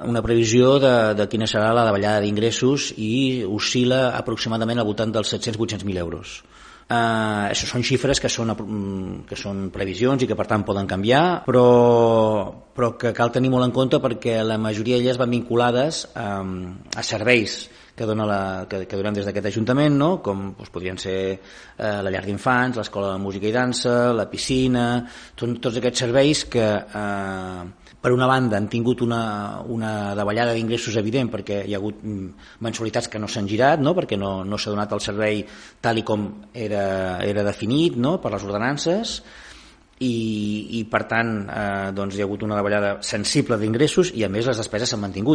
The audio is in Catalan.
una previsió de quina serà la davallada d'ingressos i oscil·la aproximadament al voltant dels 700-800.000 euros. Això són xifres que són previsions i que per tant poden canviar, però que cal tenir molt en compte perquè la majoria d'elles van vinculades a serveis que donem des d'aquest Ajuntament, no? Com podrien ser la llar d'infants, l'escola de música i dansa, la piscina, tots aquests serveis que per una banda han tingut una davallada d'ingressos evident perquè hi ha hagut mensualitats que no s'han girat, no? Perquè no s'ha donat el servei tal i com era definit, no? Per les ordenances, i per tant doncs hi ha hagut una davallada sensible d'ingressos i a més les despeses s'han mantingut.